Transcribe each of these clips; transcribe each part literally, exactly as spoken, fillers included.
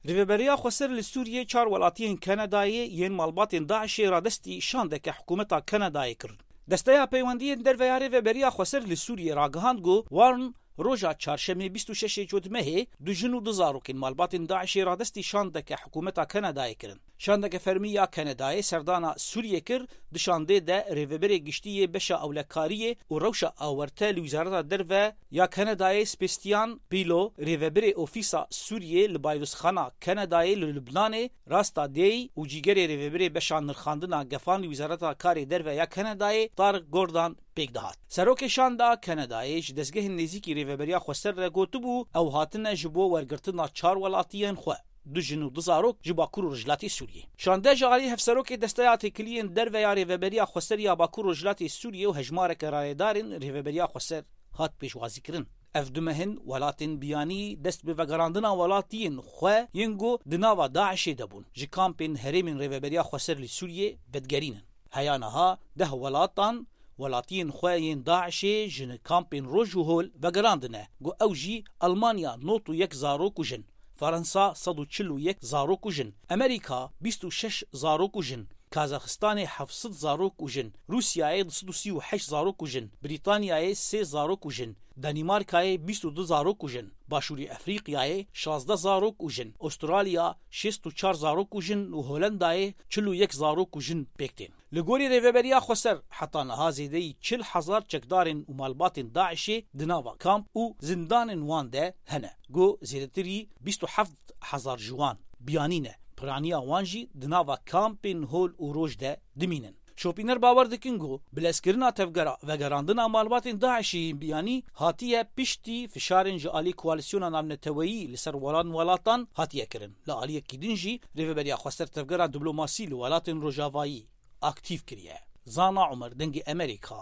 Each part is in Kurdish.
Rêveberiya Xweser li Sûriyê çar welatiyên Kanadayê yên malbatên DAIŞê radestî şandeke hikûmeta Kanadayê kirin. Desteya Peywendiyên Derve ya Rêveberiya Xweser li Sûriyê ragihand ku Warn roja çarşemê bîst û şeş ê Cotmehê du jin û du zarokên malbatên DAIŞê radestî şandeke hikûmeta Kanadayê kirin. Şandeke fermî ya Kanadayê serdana Sûriyê kir, di şandê de rêveberê giştî yê beşa ewlekariyê û rewşa awerte li Wizareta Derve ya Kanadayê Sebastian Pillot, rêveberê Ofîsa Sûriyê li Bayrozxana Kanadayê li Lubnanê, Rasta Dey û cîgerê rêveberê beşa nirxandina gefan li Wizareta Karê Derve ya Kanadayê Tarek Gordon pêk dihat. Serokê Şanda Kanadayê ji dezgehên nêzîkî Rêveberiya Xweser re gotibû, ew hatine ji bo wergirtina çar welatiyên xwe, du jin û du zarok ji Bakur û Rojhilatê Sûriyê. Şande ji alî Hevserokê Desteya Têkiliyên Derve ya Rêveberiya Xweser ya Bakur Rojhilatê Sûriyê û hejmareke rayedarên Rêveberiya Xweser hat pêşwazîkirin. Ev du meh in welatên biyanî dest bi vegerandina welatiyên xwe yên ku di nava DAIŞê de bûn, ji kampên herêmên Rêveberiya Xweser li Sûriyê vedigerînin. Heya niha deh welatan welatiyên xwe yên DAIŞê ji kampên roj û hol vegerandine, ku ew jî Almanya nod û yek zarok û jin, Fransa sed û çil û yek zarok û jin, Amerîka bîst û şeş zarok û jin, Kazaxistanê heft sed zarok û jin, Rûsyayê du sed û sî û heşt zarok û jin, Brîtanyayê sê zarok û jin, Danîmarkayê bîst û du zarok û jin, Başûrê Efrîqyayê şazdeh zarok û jin, Ostralya şêst û çar zarok û jin û Holendayê çil û yek zarok û jin pêk tên. Li gorî Rêveberiya Xweser, heta niha zêdeyî çil hezar çekdarên û malbatên DAIŞê di nava kamp û zindanên wan de hene, ku zêdetirî bîst û heft hezar ji wan biyanî ne. Piraniya wan jî di nava kampên hol û roj de dimînin. Şopîner bawer dikin ku bilezkirina tevgera vegerandina malbatên DAIŞê yên biyanî hatiye piştî fişarên ji alî koalîsyona navneteweyî li ser welan welatan hatiye kirin. Li aliyekî din jî Rêveberiya Xweser tevgera diplomasî li welatên Rojavayî aktîf kiriye. Zana Umer, Dengê Emerîka,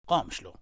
Qamişlo.